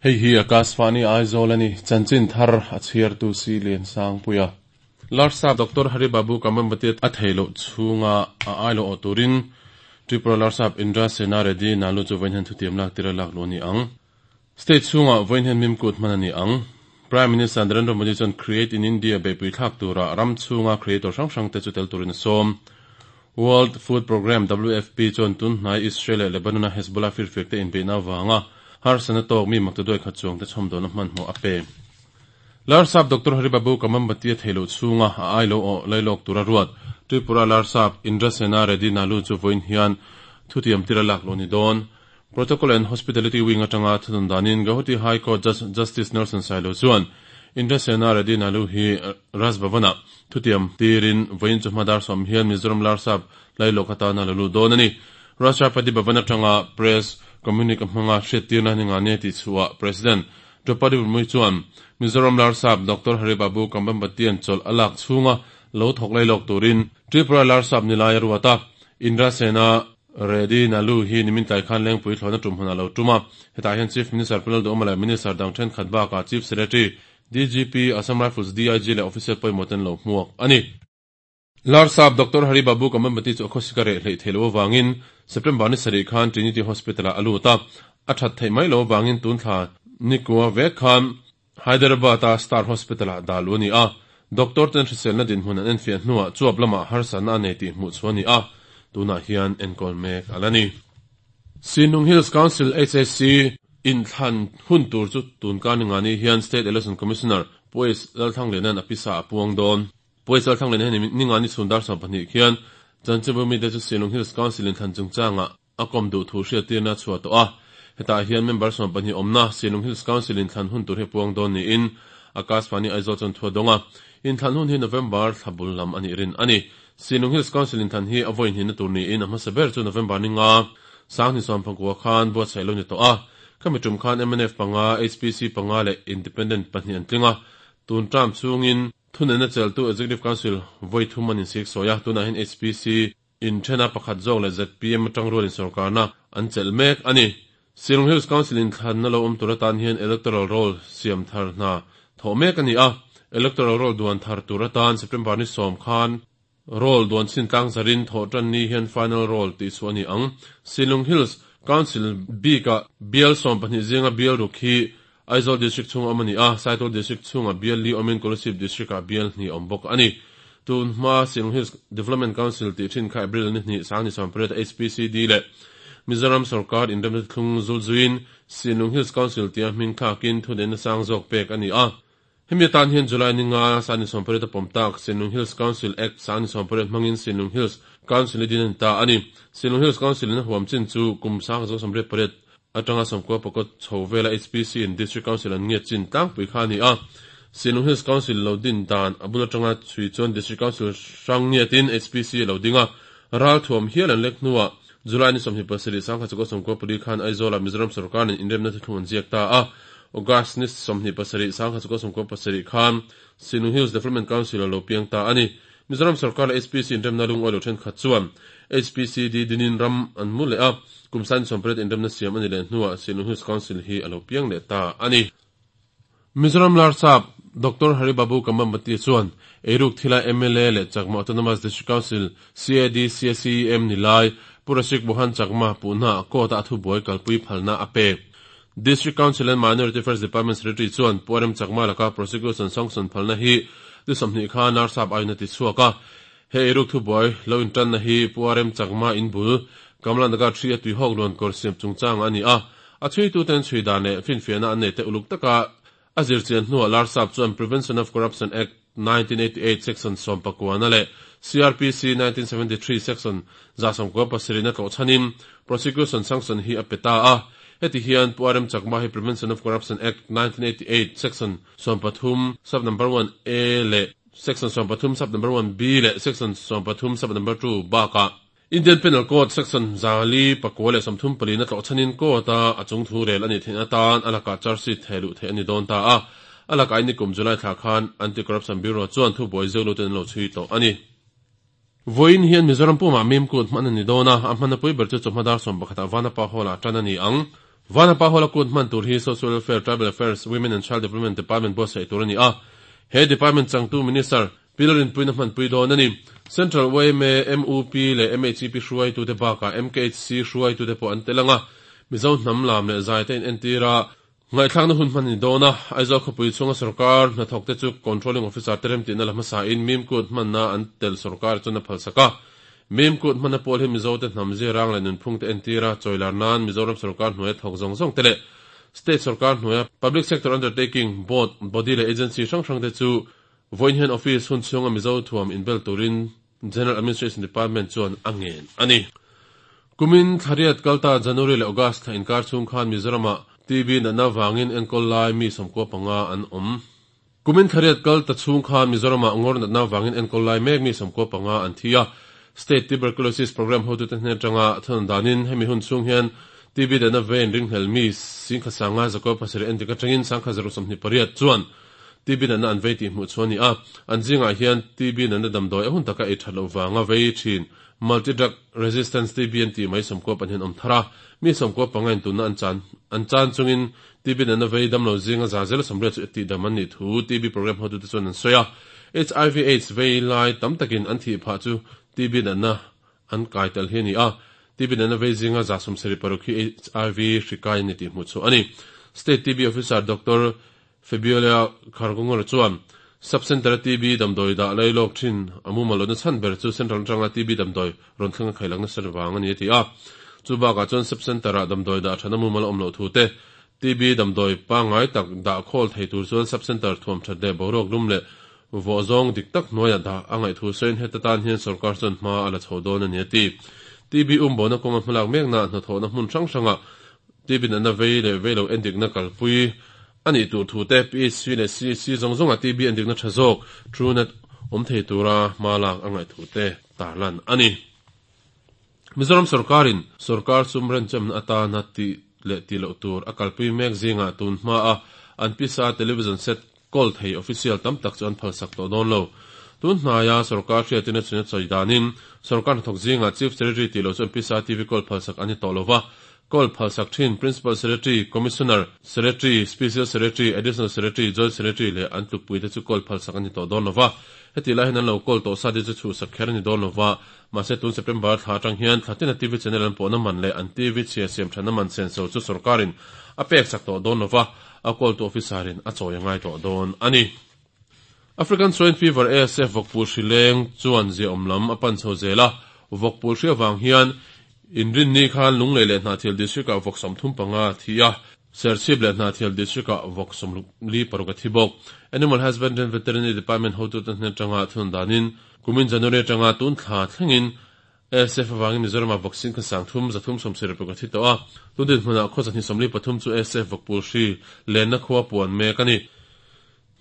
Hei hi Akashvani Aizawl a ni, chanchin thar a chhiartu si Liansangpuia. Larsap Doctor Hari Babu Kambhampati a theih loh chhunga a ai lo awh turin Tripura Larsap Indra Sena Reddy Nalu chu vawiin hian thutiam lak tir a lak luh a ni ang. State chhungah vawiin hian mimkut hman a ni ang. Prime Minister Narendra Modi chuan Create in India beihpui thlak tura ram chhunga creator hrang hrangte chu tel turin a sawm. World Food Programme, WFP, chuan tun hnai Israel leh Lebanon-a Hezbollah firfiakte inbeihna avanga harsatna tawk mi maktaduai khat chuangte chhawmdawlna hmanhmawh a pe. Larsap Doctor Hari Babu Kamambati a theih loh chhunga a ai lo awh lailawk tura ruat Tripura Larsap Indra Sena Reddy Nalu chu vawiin hian thutiam tir a lak loh a ni dawn. Protocol and Hospitality Wing atanga thunun danin Gauhati High Court Judge Justice Nelson Sailo chuan Indra Sena Reddy Nalu hi Raj Bhavan-ah thutiam tirin vawiin chu hma dar sawm hian Mizoram Larsap lailawk atana la lut dawn a ni. Rashtrapati Bhavan atanga Press Communique a hmanga hriattirna ni nga nia tih chhuah President Draupadi Murmu chuan Mizoram Larsap Doctor Hari Babu Kambhampatian chawlh a lak chhunga lo thawk lailawk turin Tripura Larsap ni lai a ruat a, Indra Sena Reddy Nalu hi nimin tlai khan Lengpui thlawhna tum hmunah a lo tum a, hetah hian Chief Minister Pu Lalduhawma leh Minister dang thenkhat bakah Chief Secretary, DGP, Assam Rifles DIG leh Officer pawimawh ten lo hmuak a ni. Larsap Doctor Hari Babu Kamambati chu a khawsik a reh hleih theih loh avangin September ni sarih khan Trinity Hospital-ah a lut a, a that theih mai loh avangin tun thla nikua vek khan Hyderabad-a Star Hospital-ah dah luh a ni a. Doctor ten hriselna dinhmun an enfiah hnuah chuap lamah harsatna a nei tih hmuh chhuah a ni a, tunah hian enkawl mek a la ni. Sinung Hills Council, HAC, inthlan hun tur chu tun kar ningani hian State Election Commissioner Pu Lalthangliana'n a pisa a puang dawn. Pawisa thlang leh heni ninga ni chhun dar 12 khian Chanchinbu mite chu Sinung Hills Council in thlan chungchangah a kawm duh thu hriattirna a chhuah tawh a. Hetah hian member 12 awmna Sinung Hills Council in thlan hun tur hi puang dawn niin Akashvani Aizawl chuan thu a dawng a. Inthlan hun hi November thla bul lam a nih rin a ni. Sinung Hills Council inthlan hi a vawi hnihna tur niin a hmasa ber chu November ninga Sanghni sawmpakua khan buatsaih lo ni tawh a. Khami tum khan mnf panga, HPC panga leh Independent pahnih an tling a. Tun term chhungin Thunena cheltu Executive Council vawi thum an insik sawi a, tunah hian HPC inthena pakhat zawk leh zpm atang rualin sorkarna an chelh mek a ni. Shillong Hills Council inthlanna lo awm tur atan hian Electoral Roll siam thar hna thawh mek a ni a, Electoral Roll duan thar tur atan September ni sawm khan Roll duan chin tlang zarin thawh tan ni hian Final Roll tih chhuah a ni ang. Shillong Hills Council bikah bial 12 zinga bial ruk hi Aizawl District chhunga awm a ni a, Saitual District chhunga bial li awmin Kolasib District-ah bial hnih a awm bawk a ni. Tun hma Shillong Hills Development Council tih thin kha April ni hnih sang ni 18 HPCD leh Mizoram sorkar inremna thlung zul zuiin Shillong Hills Council tia hming thlakin thuneihna sang zawk pek a ni a. Hemi atan hian July ni nga sang ni 18 a pawm tak Shillong Hills Council Act sang ni 18 hmangin Shillong Hills Council i din a ni ta a ni. Shillong Hills Council in a huam chin chu kum sang 98 Atanga sawmkua pakhat chho vela HPC in District Council an ngiat chin tlangpui kha a ni a. Shillong Hills Council lo din dan a bul atanga chhui chuan District Council hrang ngiatin HPC a lo ding a. Ralthuam hial an lek hnuah July ni 27 1994 khan Aizawlah Mizoram sorkar nen inremna thuthlung an ziak ta a. August ni 27 1997 khan Shillong Hills Development Council a lo piang ta a ni. Mizoram sorkar leh HPC inremna lungawi lo thenkhat chuan HPCD dinin ram an mu leh a, kum sain sawmpariat inremna siam a ni leh hnuah Shillong Hills Council hi a lo piang leh ta a ni. Mizoram Larsap Doctor Hari Babu Kambhampati chuan eiruk thila mla leh Chakma Autonomous District Council, CAD, CACEM ni lai Pu Rasik Mohan Chakma puhna court-a a thubuai kalpui phalna a pek. District Council and Minority Affairs Department Secretary chuan Pu RM Chakma laka prosecution sanction phalna hi ni 20 khan Narsap aiin a ti chhuak a. He eiruk thubuai lo intanna hi Pu RM Chakma in bul Kamla Nagar 3 a tuihawk luan kawr siam chungchang a ni a. A chhuituten chhui dan leh finfiahna an nei te uluk taka A zirchian hnuah Larsap chuan Prevention of Corruption Act, 1988 Section 19 leh CrPC 1973 Section 197 a tlawh chhanin Prosecution Sanction hi a pe ta a. Heti hian Pu RM Chakma hi Prevention of Corruption Act, 1988 Section 13 Sub Number 1 A leh Section 13 Sub Number 1 B leh Section 13 Sub Number 2 bakah Indian Penal Code Section 434 na tlawh chhanin court a a chung thu rel a nih theihna atan a lakah charge sheet theh luh theih a ni dawn ta a. A lakah in nikum July thla khan Anti-Corruption Bureau chuan thubuai zeu luten an lo chhui tawh a ni. Vawiin hian Mizoram pumah mim kut hman a ni dawn a, a hmanna pui ber chu chawhma dar 11 ah Vanapa Hall ah tan a ni ang. Vanapa Hall-a kut hman tur hi Social Welfare, Tribal Affairs, Women and Child Development Department buatsaih tur a ni a. He department changtu Minister, Pi Lalrinpuiin a hmanpui dawn a ni. Central yma, mup leh MHEP hruaitute bakah MKHC hruaitute pawh an tel ang a. Mizo hnam lam leh zaite inentir a, ngaihthlakna hun hman a ni dawn a. Aizawl khawpui chhunga sorkar hnathawkte chu Controlling Officer te remtihna la hmasain Mim Kut hmanna an tel sorkar chuan a phalsak a. Mim Kut hmanna pawl hi Mizote hnam zirang leh nunphungte entir a, chawilar nan Mizoram sorkar hnuaia thawk zawng zawng te leh State sorkar hnuaia Public Sector Undertaking, Board, Body leh Agency hrang hrangte chu Vawiin hian office hun chhunga Mizo thuam inbel turin General Administration Department chuan a ngen a ni. Kumin thlariat kalta January leh August thla inkar chhung khan Mizoramah TB natna vangin enkawl lai mi 95 an awm. Kumin thlariat kalta chhung khan Mizoramah ngawr natna vangin enkawl lai mek mi 95 an thi a. State Tuberculosis Programme hotute hnen atanga thun danin hemi hun chhung hian TB natna vein ringhlel mi 11,000 19 endik atangin 1128 chuan TB natna an vei tih hmuh chhuah a ni a, an zingah hian TB natna damdawi a hun taka ei that loh vanga vei thin Multi Drug Resistance TB an tih mai 92 an awm thar a, mi 95 in tunna an chan an chan chungin TB natna vei damlo zinga za zel 80 chu tihdam an nih thu TB program hotute chuan an sawi a. HIV Aids vei lai tam takin an thih phah chu TB natna an kai tel hi a ni a, TB natna vei zinga 76 hi HIV hri kai an ni tih hmuh chhuah a ni. State TB Officer Doctor Fabiola Kharkongor chuan Sub Centre-a TB damdawi dah lai lawk thin a mumal lohna chhan ber chu Central atanga TB damdawi rawn thleng a khaih nasa vang a ni a ti a. Chu bakah chuan Sub Centre-ah damdawi dah thana mumal a awm loh thu te, TB damdawi pangngai tak dah khawl thei tur chuan Sub Centre thuam that leh boruak lum leh vawh zawng dik tak hnuaiah dah a ngaih thu sawiin heta tan hian sawrkar chuan hma a la chho dawn a ni a ti. TB umbo-na kawnga hmalak mekna hnathawhna hmun hrang hrangah TB natna vei leh vei lo endikna kalpui a nih tur thu te, PHC leh CHC zawng zawnga TB endikna tha zawk, Truenat, awm thei tura hma lak a ngaih thu te tarlan a ni. Mizoram sawrkarin sawrkar sum renchemna atana tih leh tih loh tur a kalpui mek zingah tun hmaa an pisa television set kawl thei official tam tak chu an phalsak tawh dawn lo. Tun hnaia sawrkar hriatin a chhun a sawi danin sawrkar hnathawk zingah Chief Secretary tih loh chu an pisa TV kawl phalsak an ni tawh lo va, Kawl phalsak thin Principal Secretary, Commissioner, Secretary, Special Secretary, Additional Secretary, Joint Secretary leh an tlukpuite chu kawl phalsak an ni tawh dawn lo va. Hetih lai hian an lo kawl tawh sa te chu chhuhsak kher a ni dawn lo va. Mahse tun September thla atang hian thla tina TV channel an pawhna man leh an TV chhia siam thatna man senso chu sorkarin a peksak tawh dawn lo va, a kawltu officer-in a chawi a ngai tawh dawn a ni. African Swine Fever, ASF, vawkpul hri leng chuan ziaawm lam a pan chho zel a, vawkpul hri avang hian Inrinni khan Lunglei leh Hnahthial District-ah vawk 35 a thi a, Serchhip leh Hnahthial District-ah vawk 46 a thi bawk. Animal Husbandry and Veterinary Department hotute hnen atanga thun danin kumin January atanga tun thla thlengin ASF avangin Mizoramah vawk 3,376 a thi tawh a, tun dinhmunah khaw 223 chu ASF vawkpul hri lenna khua puan mek a ni.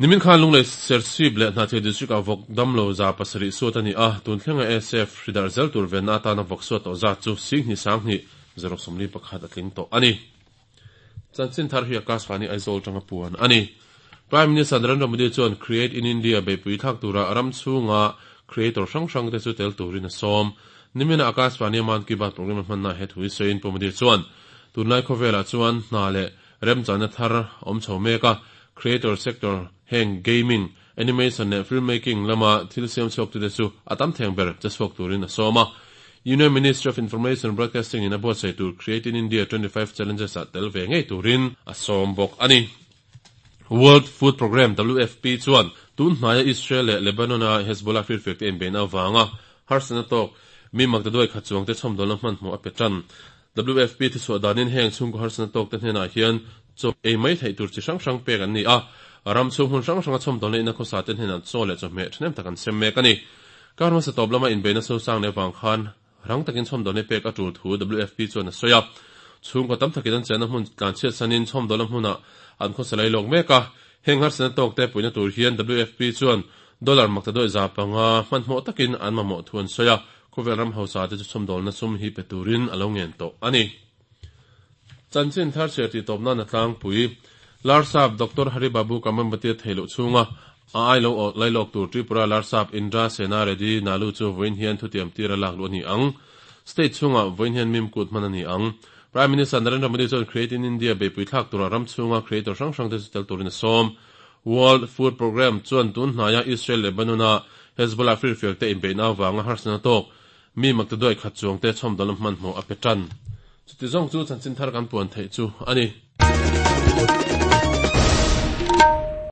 Nimin khan Lunglei Serchhip leh Hnahthial District-ah vawk damlo 700 suat a ni a, tun thlenga ASF hri darh zel tur venna atana vawk suat tawh zat chu 2,2,091 a tling tawh a ni. Chanchin thar hi Akashvani Aizawl atanga puan a ni. Prime Minister Narendra Modi chuan Create in India beihpui thlak tura ram chhunga creator hrang hrangte chu tel turin a sawm. Nimina Akashvani-a Mann Ki Baat programme a hmanna he thu hi sawiin Pu Modi chuan tunlai khawvelah chuan hna leh Remchana thar awm chho mek a, creator sector heng gaming, animation leh filmmaking lama thil siam chhuaktute chu a tam theng ber che chhuak turin a sawm a. Union Ministry of Information and Broadcasting in a buatsaih tur Create in India 25 Challenges ah tel ve ngei turin a sawm bawk a ni. World Food Programme, WFP, chuan tun hnaia Israel leh Lebanon-a Hezbollah firfiakte inbeihna avanga harsatna tawk mi maktaduai khat chuangte chhawmdawlna hmanhmawh a pe tan. WFP thuchhuah danin heng chhungkaw harsatna tawkte hnenah hian chaw ei mai theih tur chi hrang hrang pek an ni a, ram chhung hmun hrang hranga chhawmdawlna ina khawsa te hnenah chaw leh chawhmeh thahnem tak an sem mek a ni. Kar hmasa tawp lama inbeihna sosang leh avang khan rang takin chhawmdawlna pek a tul thu WFP chuan a sawi a. Chhungkaw tam takin an chenna hmun tlanchhiat sanin chhawmdawlna hmunah an khawsa lai lawk mek a. Heng harsatna tawkte puihna tur hian WFP chuan dollar maktaduai 500 hmanhmawh takin an mamawh thu an sawi a. Khawvel ram hausa te chu chhawmdawlna sum hi pe turin a lo ngen tawh a ni. Chanchin thar chhiar tih tawp nan a tlangpui. Larsap Doctor Hari Babu Kamambati a theih loh chhunga a ai lo awh lailawk tur Tripura Larsap Indra Sena Reddy Nalu chu vawiin hian thutiam tir a lak luh a ni ang. State chhungah vawiin hian mim kut hman a ni ang. Prime Minister Narendra Modi chuan Create in India beihpui thlak tura ram chhunga creator hrang hrangte chu tel turin a sawm. World Food Programme chuan tun hnaia Israel Lebanon-a Hezbollah firfiakte inbeihna avanga harsatna tawk mi maktaduai khat chuangte chhawmdawlna hmanhmawh a pe tan. Chuti zawng chu chanchin thar kan puan theih chu a ni.